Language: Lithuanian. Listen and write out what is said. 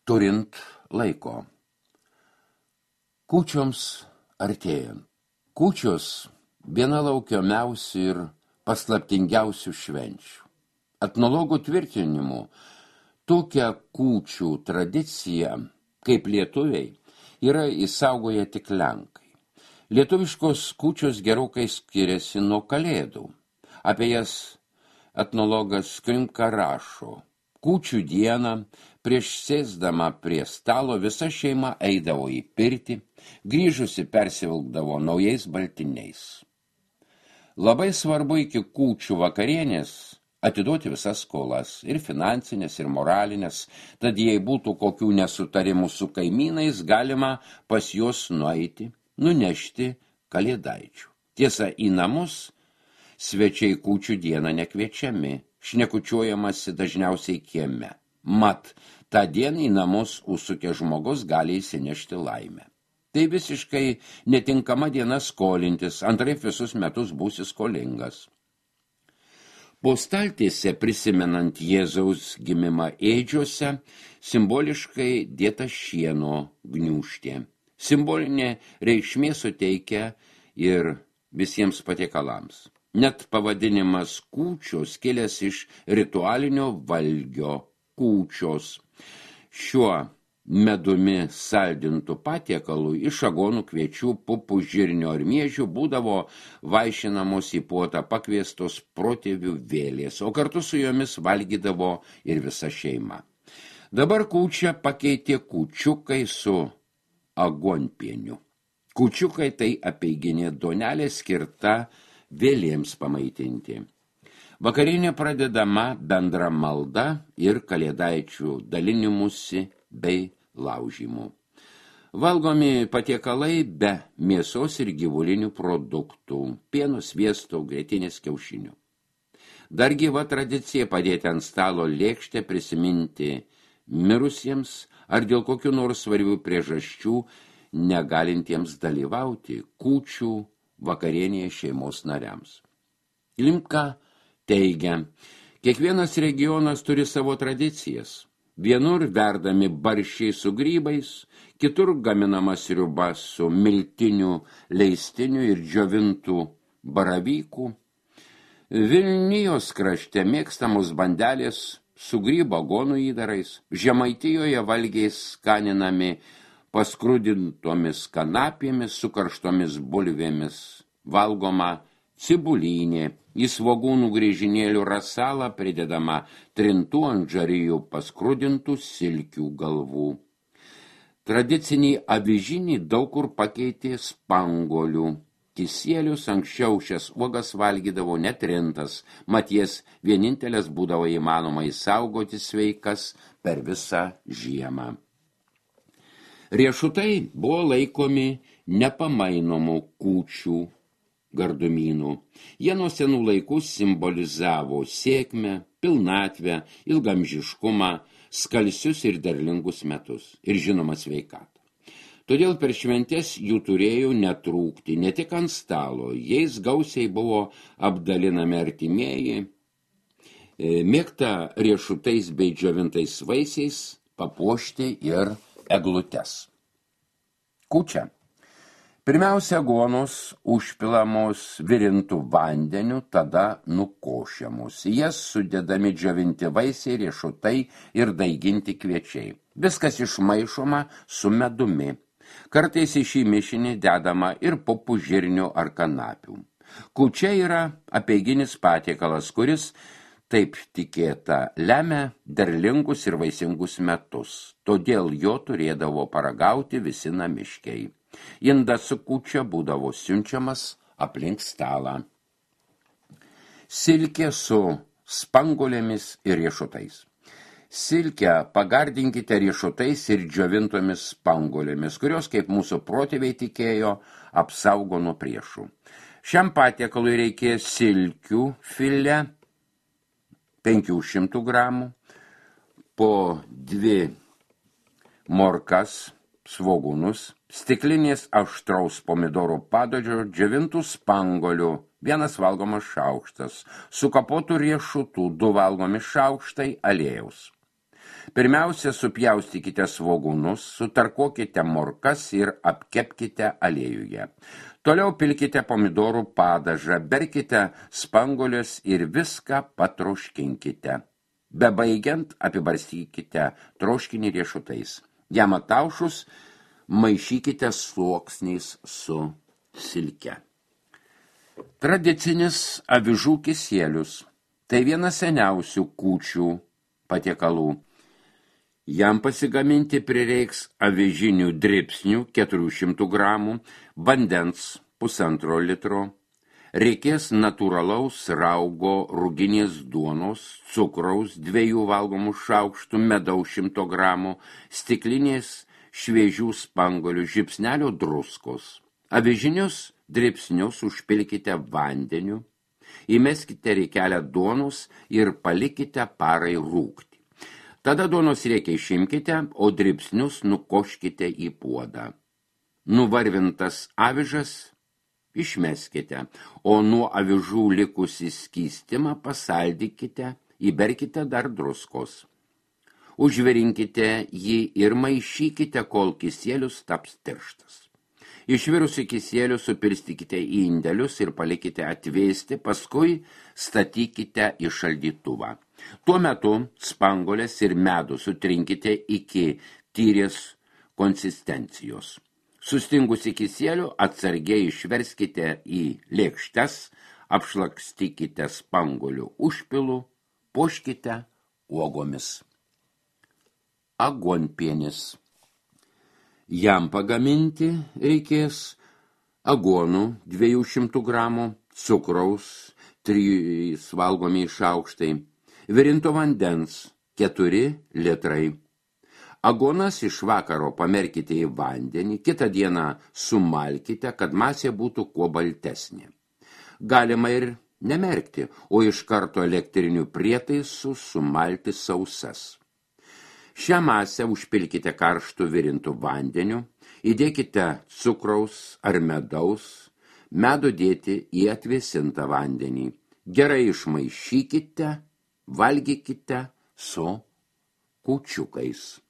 turint laiko. Kūčioms artėjant. Kūčios viena laukiamiausių ir paslaptingiausių švenčių. Etnologų tvirtinimu, tokią kūčių tradiciją, kaip lietuviai, yra įsaugoję tik lenkai. Lietuviškos kūčios gerokai skiriasi nuo kalėdų. Apie jas etnologas Krimka rašo. Kūčių dieną, prieš sėsdama prie stalo, visa šeima eidavo į pirtį, grįžusi persivilkdavo naujais baltiniais. Labai svarbu iki kūčių vakarienės atiduoti visas skolas, ir finansinės, ir moralinės, tad jei būtų kokių nesutarimų su kaimynais, galima pas juos nueiti, nunešti kalėdaičių. Tiesa, į namus svečiai kūčių dieną nekviečiami, šnekučiuojamasi dažniausiai kieme. Mat, tą dieną į namus užsukę žmogus gali įsinešti laimę. Tai visiškai netinkama diena skolintis, antraip visus metus būsi skolingas. Po staltiese, prisimenant Jėzaus gimimą ėdžiuose, simboliškai dėta šieno gniūžtė. Simbolinė reikšmė suteikia ir visiems patiekalams. Net pavadinimas kūčios kilęs iš ritualinio valgio kūčios. Šiuo medumi saldintų patiekalų iš agonų, kviečių, pupų, žirnio ir miežių būdavo vaišinamos į puotą pakviestos protėvių vėlės, o kartu su jomis valgydavo ir visa šeima. Dabar kūčią pakeitė kūčiukai su agonpieniu. Kūčiukai tai apeiginė duonelė skirta vėlėms pamaitinti. Vakarienė pradedama bendra malda ir kalėdaičių dalinimusi bei laužymų. Valgomi patiekalai be mėsos ir gyvulinių produktų, pieno, sviesto, grietinės, kiaušinių. Dar gyva tradicija padėti ant stalo lėkštę, prisiminti mirusiems ar dėl kokių nors svarbių priežasčių negalintiems dalyvauti kūčių vakarienėje šeimos nariams. Klimka teigia, kiekvienas regionas turi savo tradicijas. Vienur verdami barščiai su grybais, kitur gaminama sriuba su miltiniu, leistiniu ir džiovintų baravykų. Vilnijos krašte mėgstamos bandelės su grybo agonų įdarais, Žemaitijoje valgiai skaninami paskrudintomis kanapėmis su karštomis bulvėmis, valgoma cibulinė, į svogūnų griežinėlių rasalą pridedama trintų ant žarijų paskrudintų silkių galvų. Tradicinį avižinį daug kur pakeitė spangolių. Kisielius anksčiau šias uogas valgydavo netrintas, mat jas vienintelės būdavo įmanoma įsaugoti sveikas per visą žiemą. Riešutai buvo laikomi nepamainomų kūčių gardumynų. Jie nuo senų laikų simbolizavo sėkmę, pilnatvę, ilgamžiškumą, skalsius ir derlingus metus ir žinoma sveikatą. Todėl per šventes jų turėjo netrūkti, ne tik ant stalo, jais gausiai buvo apdalinami artimieji, mėgta riešutais bei džiovintais vaisiais papuošti ir eglutes. Kūčia. Pirmiausia, agonos užpilamos virintų vandeniu, tada nukošiamos. Jas sudedami džiovinti vaisiai, riešutai ir daiginti kviečiai. Viskas išmaišoma su medumi. Kartais į šį mišinį dedama ir pupų, žirnių ar kanapių. Kūčia yra apeiginis patiekalas, kuris, taip tikėta, lemia derlingus ir vaisingus metus. Todėl jo turėdavo paragauti visi namiškiai. Indas su kūčia būdavo siunčiamas aplink stalą. Silkė su spangolėmis ir riešutais. Silkę pagardinkite riešutais ir džiovintomis spangolėmis, kurios, kaip mūsų protėviai tikėjo, apsaugo nuo priešų. Šiam patiekalui reikės silkių filė 500 gramų, po 2 morkas, svogūnus, stiklinės aštraus pomidorų padažo, džiovintų spangolių, 1 valgomas šaukštas, sukapotų riešutų, 2 valgomi šaukštai aliejaus. Pirmiausia, supjaustykite svogūnus, sutarkuokite morkas ir apkepkite aliejuje. Toliau pilkite pomidorų padažą, berkite spanguolius ir viską patroškinkite. Bebaigiant, apibarstykite troškinį riešutais. Jam ataušus, maišykite sluoksniais su silke. Tradicinis avižų kisielius. Tai vienas seniausių kūčių patiekalų. Jam pasigaminti prireiks avižinių dribsnių 400 gramų, vandens 1,5 litro, reikės natūralaus raugo ruginės duonos, cukraus 2 valgomų šaukštų, medaus 100 gramų, stiklinės šviežių spanguolių, žiupsnelio druskos. Avižinius dribsnius užpilkite vandeniu, įmeskite riekelę duonos ir palikite parai rūgti. Tada duonos riekę išimkite, o dribsnius nukoškite į puodą. Nuvarvintas avižas išmeskite, o nuo avižų likusį skystimą pasaldykite, įberkite dar druskos. Užvirinkite jį ir maišykite, kol kisielius taps tirštas. Išvirusi kisielių supirstykite į indelius ir palikite atvėsti, paskui statykite į šaldytuvą. Tuo metu spanguolės ir medų sutrinkite iki tyrės konsistencijos. Sustingusi kisielių atsargiai išverskite į lėkštes, apšlakstykite spanguolių užpilu, puoškite uogomis. Aguonpienis. Jam pagaminti reikės aguonų 200 gramų, cukraus 3 valgomi šaukštai, virinto vandens 4 litrai. Aguonas iš vakaro pamerkite į vandenį, kitą dieną sumalkite, kad masė būtų kuo baltesnė. Galima ir nemerkti, o iš karto elektrinių prietaisų sumalti sausas. Šią masę užpilkite karštų virintų vandeniu, įdėkite cukraus ar medaus, medų dėti į atvėsintą vandenį. Gerai išmaišykite, valgykite su kūčiukais.